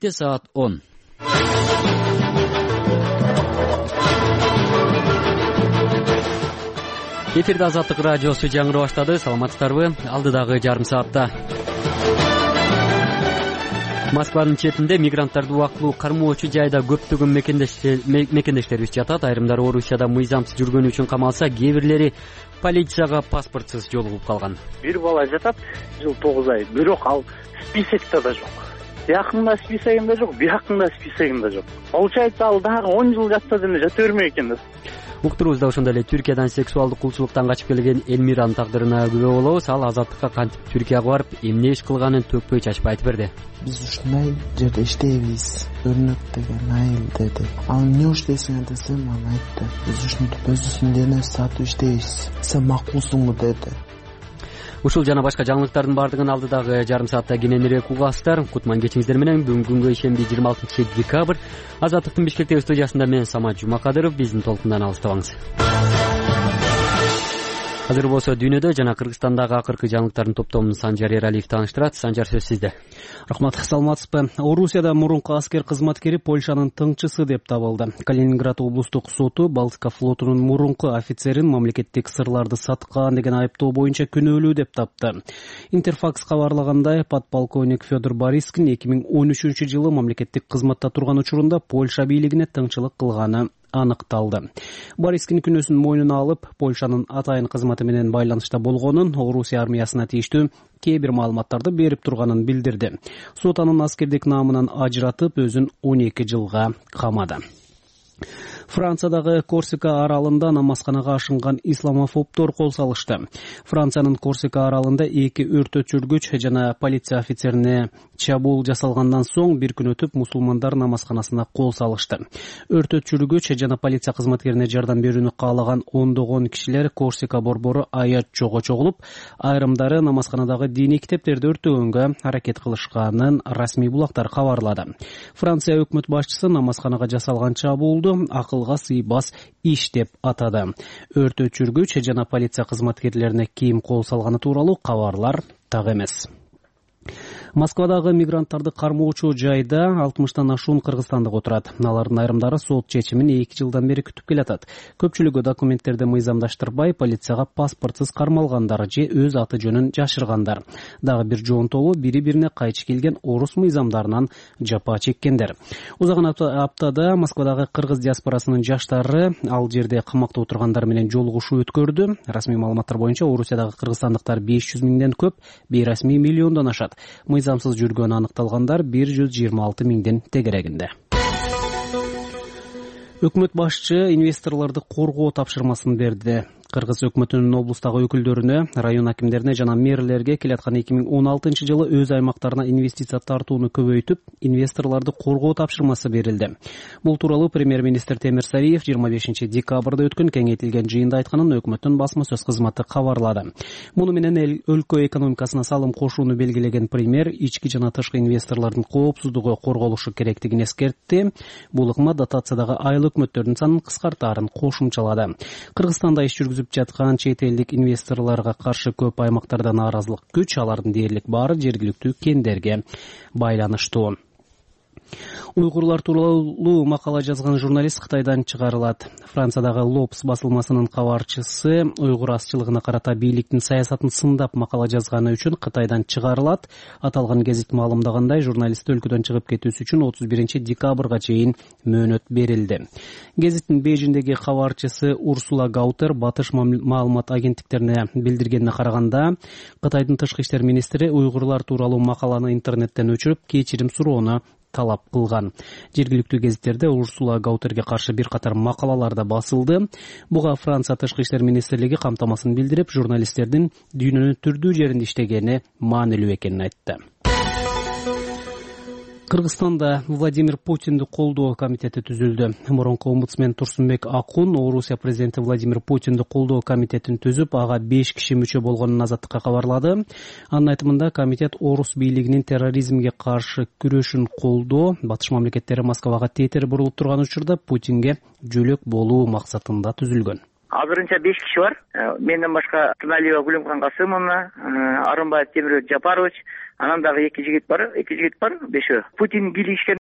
Саат 10. Эфирде Азаттык радиосу жаңырып баштады. Саламатсыздарбы? Алдыдагы жарым саатта Москванын четинде мигранттарды убактылуу кармоочу жайда көптөгөн мекендештерибиз жатат. Айрымдары Орусияда мыйзамсыз жүргөнү үчүн камалса, кээ бирлери полицияга паспортсуз жолугуп калган. Бир бала жатат, жыл 9 ай, бирок ал списокто да жок. Якында списогунда жок, биякында списогунда жок. Получается, ал дагы 10 жыл жатса деле жата бермек экен да. Уктурубузда ошондой эле Түркиядан сексуалдык кулчулуктан качып келген Элмиранын тагдырына күбө болобуз. Ал Азаттыкка кантип Түркияга барып, эмне иш кылганын төкпөй чачпай айтып берди. Биз ушундай жерде иштейбиз, өрнөк деген айыл деди. Ал эмне иштейсиң десем, аны айтты. Биз ушинтип өзүбүздүн дене сатып иштейбиз. Сен макулсуңбу деди. Ушул жана башка жаңылыктардын бардыгын алдыдагы жарым саатта кененирээк угасыздар. Кутман кечиңиздер менен. Бүгүнкү күнгө ишемби 26 декабрь. Азаттыктын Бишкектеги студиясында мен Самат Жумакадыров. Биздин толкундан алыстабаңыз. Азыр болсо дүйнөдө жана Кыргызстандагы акыркы жаңылыктардын топтомун Санжар Эралиев тааныштырат. Санжар, сөз сизде. Рахмат, саламатсызбы? Орусияда мурунку аскер кызматкери Польшанын тыңчысы деп табылды. Калининград облустук соту Балтика флотунун мурунку офицерин мамлекеттик сырларды саткан деген айыптоо боюнча күнөөлүү деп тапты. Интерфакс кабарлагандай, подполковник Федор Борискин 2013-жылы мамлекеттик кызматта турган учурунда Польша бийлигине тыңчылык кылганы аныкталды. Борискин күнөөсүн мойнуна алып, Польшанын атайын кызматы менен байланышта болгонун, Орусия армиясына тийиштүү кээ бир маалыматтарды берип турганын билдирди. Сот анын аскердик наамынан ажыратып, өзүн 12 жылга камады. Франциядагы Корсика аралында намазканага ашынган исламофобдор кол салышты. Франциянын Корсика аралында 2 өрт өчүргүч жана полиция офицерине чабуул жасалгандан соң бир күн өтүп мусулмандар намазканасына кол салышты. Өрт өчүргүч жана полиция кызматкерине жардам берүүнү каалаган ондогон кишилер Корсика борбору аят жого чогулуп, айрымдары намазканадагы диний китептерди өртөгөнгө аракет кылышканын расмий булактар кабарлады. Франция өкмөт башчысы намазканага жасалган чабуулду акылга сыйбас иш деп атады. Өрт өчүргүч жана полиция кызматкерлерине ким кол салганы тууралуу кабарлар так эмес. Москвадагы мигранттарды кармоочу жайда 60тан ашуун кыргызстандык отурат. Алардын айрымдары сот чечимин 2 жылдан бери күтүп келатат. Көпчүлүгү документтерди мыйзамдаштырбай, полицияга паспортсуз кармалгандар же өз аты жөнүн жашыргандар. Дагы бир жоонтобу бири-бирине кайчы келген орус мыйзамдарынан жапа чеккендер. Узаган аптада Москвадагы кыргыз диаспорасынын жаштары ал жерде камакта отургандар менен жолугушуу өткөрдү. Расмий маалыматтар боюнча Орусиядагы кыргызстандыктар 500 миңден көп, бейрасмий миллиондон ашат. Мыйзамсыз жүргөнү аныкталгандар 126 миңден тегерегинде. Өкмөт башчы инвесторлорду коргоо тапшырмасын берди. Кыргыз өкмөтүнүн облустагы өкүлдөрүнө, район акимдерине жана мэрлерге келаткан 2016 жылы өз аймактарына инвестиция тартууну көбөйтүп, инвесторлорду коргоо тапшырмасы берилди. Бул тууралуу премьер-министр Темир Сариев 25 декабрда өткөн кеңейтилген жыйында айтканын өкмөттүн басма сөз кызматы кабарлады. Муну менен өлкө экономикасына салым кошууну белгилеген премьер ички жана тышкы инвесторлордун коопсуздугу корголушу керектигин эскертти. Бул ыкма дотациядагы айыл өкмөттөрдүн санын кыскартаарын кошумчалады. Кыргызстанда иш жүргүзүп жаткан чет элдик инвесторлорго каршы көп аймактарда нааразылык күч, алардын дээрлик баары жергиликтүү кендерге байланыштуу. Уйгурлар тууралуу макала жазган журналист Кытайдан чыгарылат. Франциядагы Лопс басылмасынын кабарчысы уйгур азчылыгына карата бийликтин саясатын сындап макала жазганы үчүн Кытайдан чыгарылат. Аталган гезит маалымдагандай, журналист өлкөдөн чыгып кетүүсү үчүн 31 декабрга чейин мөөнөт берилди. Гезиттин Бейжиңдеги кабарчысы Урсула Гаутер батыш маалымат агенттиктерине билдиргенине караганда, Кытайдын тышкы иштер министри уйгурлар тууралуу макаланы интернеттен өчүрүп, кечирим суроону талап кылган. Жергиликтүү гезиттерде Урсула Гаутерге каршы бир катар макалалар да басылды. Буга Франция тышкы иштер министрлиги камтамасын билдирип, журналисттердин дүйнөнүн түрдүү жеринде иштегени маанилүү экенин айтты. Кыргызстанда Владимир Путинди колдоо комитети түзүлдү. Мурунку омбудсмен Турсунбек Акун Орусия президенти Владимир Путинди колдоо комитетин түзүп, ага 5 киши мүчө болгонун Азаттыкка кабарлады. Анын айтымында комитет орус бийлигинин терроризмге каршы күрөшүн колдоо, батыш мамлекеттери Москвага тетер бурулуп турган учурда Путинге жөлөк болуу максатында түзүлгөн. Азырынча 5 киши бар. Менден башка Туналиева Гүлүмкан Касымовна, Арынбаев Темирбек Жапарович, анан дагы 2 жигит бар, 5-өө. Путин бийлигишкен